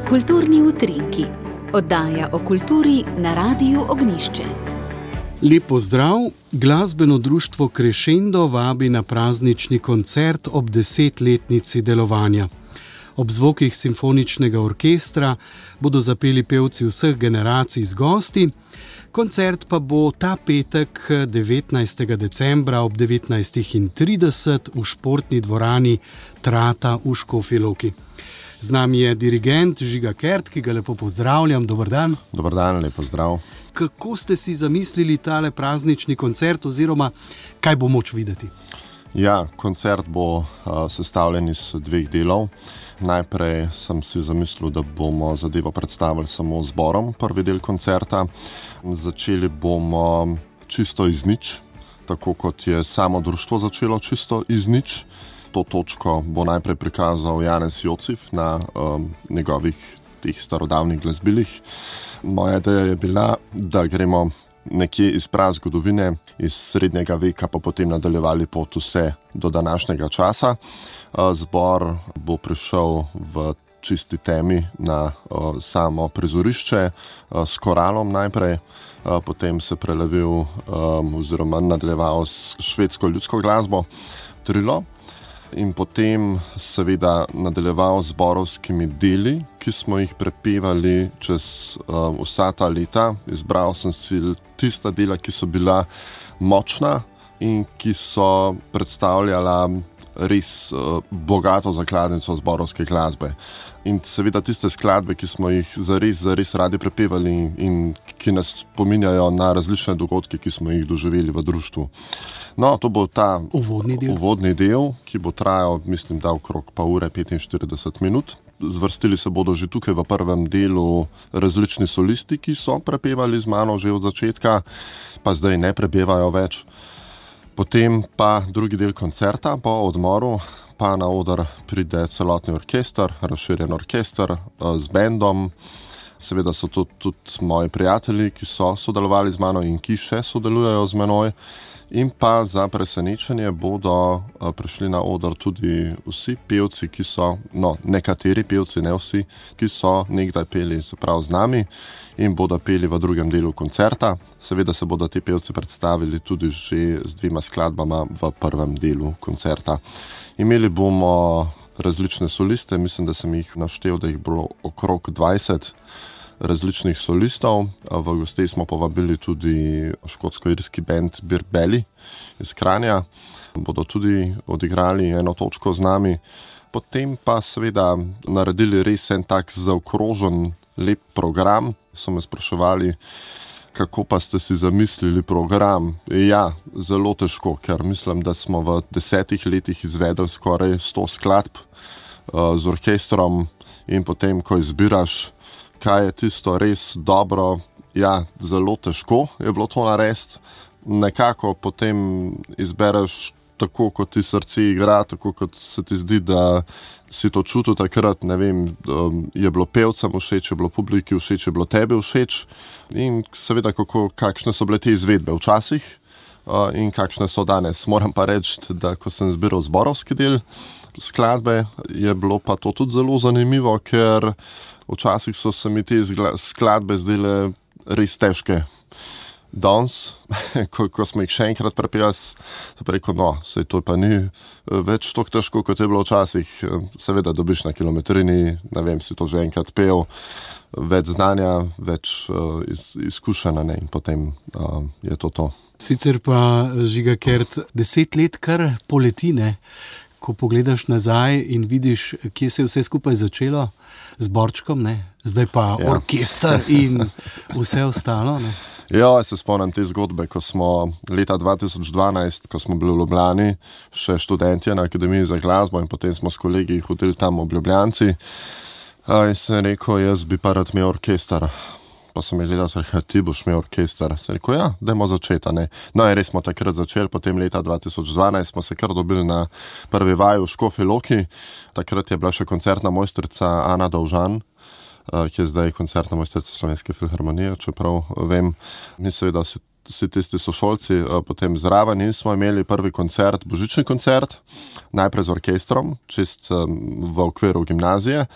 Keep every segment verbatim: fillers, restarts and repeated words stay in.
Kulturni utrinki. Oddaja o kulturi na Radiu Ognjišče. Lep pozdrav! Glasbeno društvo Crescendo vabi na praznični koncert ob desetletnici delovanja. Ob zvokih simfoničnega orkestra bodo zapeli pevci vseh generacij z gosti. Koncert pa bo ta petek devetnajstega decembra ob devetnajst trideset v športni dvorani Trata v Škofji Loki. Z nami je dirigent Žiga Kert, ki ga lepo pozdravljam. Dober dan. Dober dan, lep pozdrav. Kako ste si zamislili tale praznični koncert oziroma kaj bo moč videti? Ja, koncert bo uh, sestavljen iz dveh delov. Najprej sem si zamislil, da bomo zadevo predstavili samo zborom, prvi del koncerta. Začeli bomo čisto iz nič, tako kot je samo društvo začelo čisto iz nič. To točko bo najprej prikazal Janez Jocif na um, njegovih teh starodavnih glasbilih. Moja ideja je bila, da gremo nekje iz prazgodovine, iz srednjega veka, pa potem nadaljevali pot vse do današnjega časa. Zbor bo prišel v čisti temi na uh, samo prizorišče uh, s koralom najprej, uh, potem se prelevil um, oziroma nadaljeval s švedsko ljudsko glasbo Trilo in potem seveda nadaljeval z zborovskimi deli, ki smo jih prepevali čez uh, vsa ta leta. Izbral sem si tista dela, ki so bila močna in ki so predstavljala res uh, bogato zakladnico zborovske glasbe. In seveda tiste skladbe, ki smo jih zares, zares radi prepevali in ki nas spominjajo na različne dogodke, ki smo jih doživeli v društvu. No, to bo ta uvodni del, uvodni del ki bo trajal, mislim, da okrog pa ure petinštirideset minut. Zvrstili se bodo že tukaj v prvem delu različni solisti, ki so prepevali z mano že od začetka, pa zdaj ne prepevajo več. Potem pa drugi del koncerta po odmoru, pa na oder pride celotni orkester, razširjen orkester z bendom. Seveda so to tudi moji prijatelji, ki so sodelovali z mano in ki še sodelujejo z menoj. In pa za presenečenje bodo prišli na oder tudi vsi pevci, ki so, no, nekateri pevci, ne vsi, ki so nekdaj peli se prav z nami in bodo peli v drugem delu koncerta. Seveda se bodo ti pevci predstavili tudi že z dvema skladbama v prvem delu koncerta. Imeli bomo različne soliste, mislim, da sem jih naštel, da jih bo okrog dvajset različnih solistov. V gostej smo povabili tudi škotsko-irski band Birbeli iz Kranja. Bodo tudi odigrali eno točko z nami. Potem pa seveda naredili res en tak zaokrožen, lep program. So me spraševali, kako pa ste si zamislili program. Ja, zelo težko, ker mislim, da smo v desetih letih izvedli skoraj sto skladb uh, z orkestrom in potem, ko izbiraš, kaj je tisto res dobro, ja, zelo težko je bilo to narediti. Nekako potem izbereš tako, kot ti srce igra, tako, kot se ti zdi, da si to čutil takrat, ne vem, je bilo pevcem všeč, je bilo publiki všeč, je bilo tebi všeč in seveda, kako, kakšne so bile te izvedbe včasih in kakšne so danes. Moram pa reči, da ko sem zbiral zborovski del skladbe, je bilo pa to tudi zelo zanimivo, ker včasih so se mi te skladbe zdele res težke. Danes, ko, ko smo jih še enkrat prepevali, sem rekel, no, sej to pa ni več tako težko, kot je bilo včasih. Seveda dobiš na kilometrini, ne vem, si to že enkrat pel, več znanja, več uh, iz, izkušenja, ne, in potem uh, je to to. Sicer pa, Žiga Kert, deset let kar poleti, ne? Ko pogledaš nazaj in vidiš, kje se je vse skupaj začelo z Borčkom, ne? Zdaj pa ja. Orkester in vse ostalo, ne? Ja, se spomnim te zgodbe, ko smo leta dva tisoč dvanajst, ko smo bili v Ljubljani, še študentje na Akademiji za glasbo in potem smo s kolegi hodili tam v Ljubljanci. In sem rekel, jaz bi pa rad imel orkester. Pa sem je gledal, da ti boš imel orkester. Sem rekel, ja, dajmo začeti, ne. No, in res smo takrat začeli, potem leta dva tisoč dvanajst smo se kar dobili na prvi vaji v Škofji Loki. Takrat je bila še koncertna mojstrica Ana Dovžan, ki je zdaj koncertna mojstrica Slovenske filharmonije, čeprav vem. Mi seveda vsi vsi tisti sošolci potem zraven in smo imeli prvi koncert, božični koncert, najprej z orkestrom, čist v okviru gimnazije,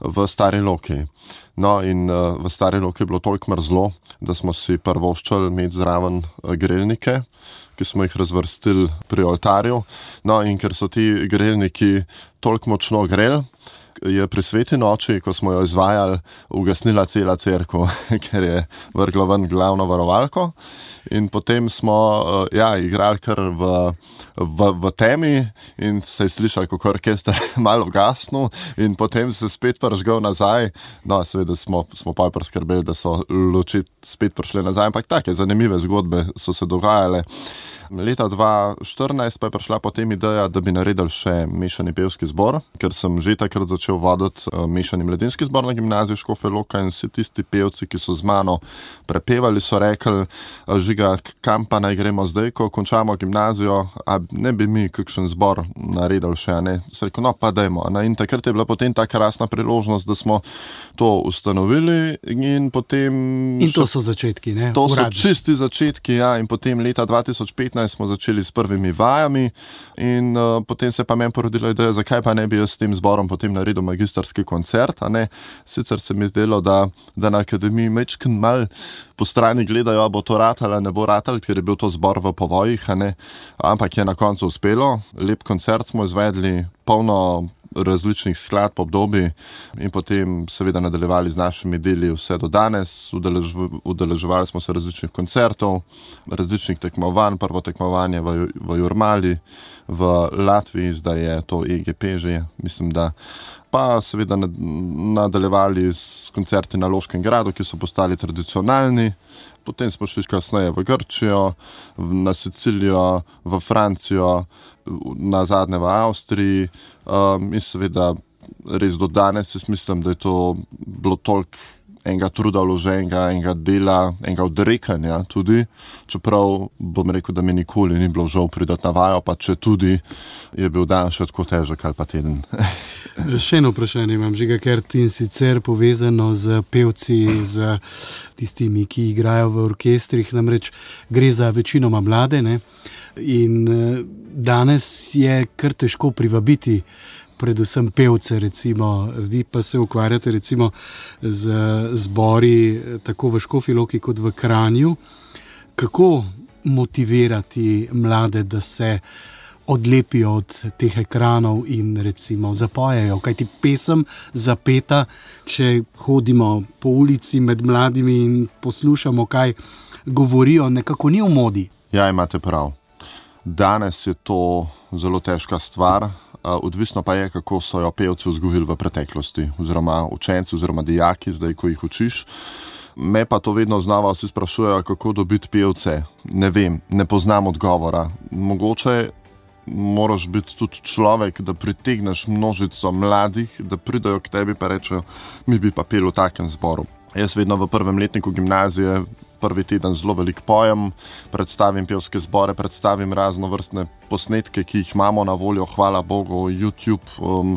v Stari Loki. No in v Stari Loki je bilo toliko mrzlo, da smo si prvoščali imeti zraven grelnike, ki smo jih razvrstili pri oltarju. No in ker so ti grelniki toliko močno greli, je pri sveti noči, ko smo jo izvajali, ugasnila cela cerkev, ker je vrgla ven glavno varovalko. In potem smo ja, igrali kar v, v, v temi in se je slišal, kako orkester malo ugasnil in potem se spet prižgal nazaj. No, seveda smo, smo pa priskrbeli, da so luči spet prišle nazaj, ampak take zanimive zgodbe so se dogajale. Leta dva štirinajst pa je prišla potem ideja, da bi naredili še mešani pevski zbor, ker sem že takrat začel voditi mešani mladinski zbor na gimnaziji Škofja Loka in vsi tisti pevci, ki so z mano prepevali, so rekli, Žiga, kam pa naj gremo zdaj, ko končamo gimnazijo, a ne bi mi kakšen zbor naredili še, ne? Se rekel, no pa dajmo. In takrat je bila potem ta krasna priložnost, da smo to ustanovili in potem... In to so začetki, ne? To so čisti začetki, ja, in potem leta dva tisoč petnajst smo začeli s prvimi vajami in uh, potem se pa meni porodila ideja, zakaj pa ne bi jaz s tem zborom potem naredil magistrski koncert, a ne. Sicer se mi zdelo, da, da na akademiji mečken mal po strani gledajo, bo to ratalo, ne bo ratalo, ker je bil to zbor v povojih, a ne. Ampak je na koncu uspelo, lep koncert smo izvedli, polno različnih skladb, obdobij in potem seveda nadaljevali z našimi deli vse do danes. Udelež, udeleževali smo se različnih koncertov, različnih tekmovanj, prvo tekmovanje v, v Jurmali, v Latviji, zdaj je to E G P že, mislim, da pa seveda nadaljevali s koncerti na Loškem gradu, ki so postali tradicionalni. Potem smo šli kasneje v Grčijo, na Sicilijo, v Francijo, na zadnje v Avstriji. Um, in seveda res do danes jaz mislim, da je to bilo toliko enega truda vloženega, enega dela, enega odrekanja tudi, čeprav bom rekel, da mi nikoli ni bilo žal pridati na vajo, pa če tudi je bil dan še tako težek ali pa teden. Še eno vprašanje imam, Žiga, ker ti sicer povezano z pevci, z tistimi, ki igrajo v orkestrih, namreč gre za večinoma mlade, ne? In danes je kar težko privabiti predvsem pevce, recimo, vi pa se ukvarjate recimo z zbori tako v Škofji Loki kot v Kranju. Kako motivirati mlade, da se odlepijo od teh ekranov in recimo zapojejo? Kajti pesem zapeta, če hodimo po ulici med mladimi in poslušamo, kaj govorijo, nekako ni v modi. Ja, imate prav. Danes je to zelo težka stvar, odvisno pa je, kako so jo pevci vzgojili v preteklosti, oziroma učenci, oziroma dijaki, zdaj, ko jih učiš. Me pa to vedno znova vsi sprašujejo, kako dobiti pevce. Ne vem, ne poznam odgovora. Mogoče moraš biti tudi človek, da pritegneš množico mladih, da pridajo k tebi pa rečejo, mi bi pa pel v takem zboru. Jaz vedno v prvem letniku gimnazije prvi teden zelo veliko pojem, predstavim pevske zbore, predstavim raznovrstne posnetke, ki jih imamo na voljo, hvala Bogu, YouTube, um,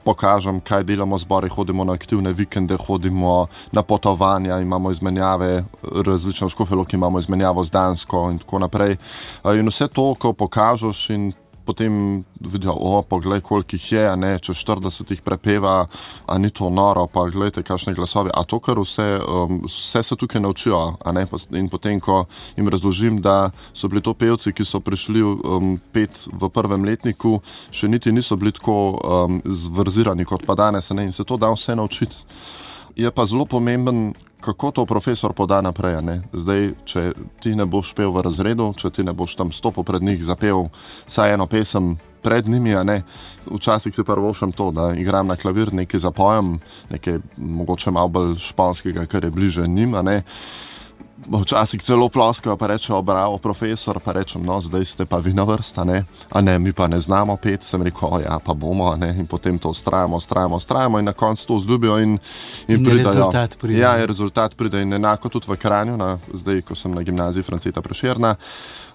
pokažem, kaj delamo zbore, hodimo na aktivne vikende, hodimo na potovanja, imamo izmenjave, različno v Škofji Loki imamo izmenjavo z Dansko in tako naprej. In vse to, ko pokažeš in potem vidijo, o, poglej, koliko jih je, a ne, če štirideset jih prepeva, a ni to noro, pa gledajte, kakšne glasovi, a to, kar vse, um, vse se tukaj naučijo, a ne, in potem, ko jim razložim, da so bili to pevci, ki so prišli um, pet v prvem letniku, še niti niso bili tako um, zvrzirani kot pa danes, a ne, in se to da vse naučiti. Je pa zelo pomemben, kako to profesor poda naprej, ne? Zdaj, če ti ne boš pel v razredu, če ti ne boš tam stopil pred njih, zapel saj eno pesem pred njimi, a ne? Včasih si prvošem to, da igram na klavir, nekaj zapojem, nekaj mogoče malo bolj španskega, kar je bliže njim, a ne? Včasih celo ploskajo, pa rečejo, bravo, profesor, pa rečem, no, zdaj ste pa vi na vrsta, ne? A ne, mi pa ne znamo pet, sem rekel, ja, pa bomo, a ne? In potem to ustrajamo, ustrajamo, ustrajamo in na koncu to vzljubijo in, in, in pridajo. Rezultat pride. Ja, je rezultat pride in enako tudi v Kranju, na, zdaj, ko sem na gimnaziji Franceta Prešerna,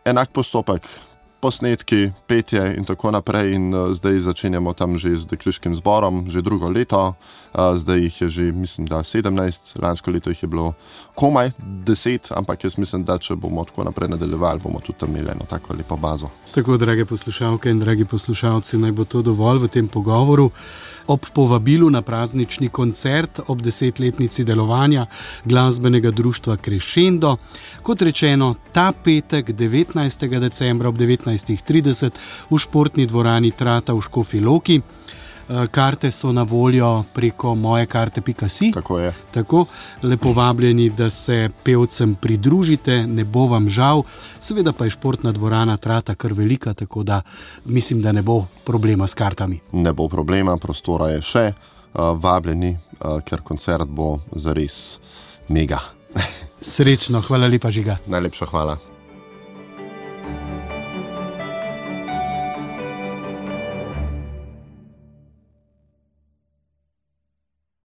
enak postopek. posnetki, petje in tako naprej in uh, zdaj začenjamo tam že z dekliškim zborom, že drugo leto, uh, zdaj jih je že, mislim, da sedemnajst, lansko leto jih je bilo komaj deset, ampak jaz mislim, da če bomo tako naprej nadaljevali, bomo tudi tam imeli eno tako lepo bazo. Tako, drage poslušalke in dragi poslušalci, naj bo to dovolj v tem pogovoru. Ob povabilu na praznični koncert ob desetletnici delovanja glasbenega društva Crescendo, kot rečeno, ta petek, devetnajstega decembra ob devetnajstih trideset v športni dvorani Trata v Škofji Loki. Karte so na voljo preko mojekarte pika si. Tako je. Tako, lepo vabljeni, da se pevcem pridružite, ne bo vam žal. Seveda pa je športna dvorana Trata kar velika, tako da mislim, da ne bo problema s kartami. Ne bo problema, prostora je še, vabljeni, ker koncert bo zares mega. Srečno, hvala lepa, Žiga. Najlepša hvala.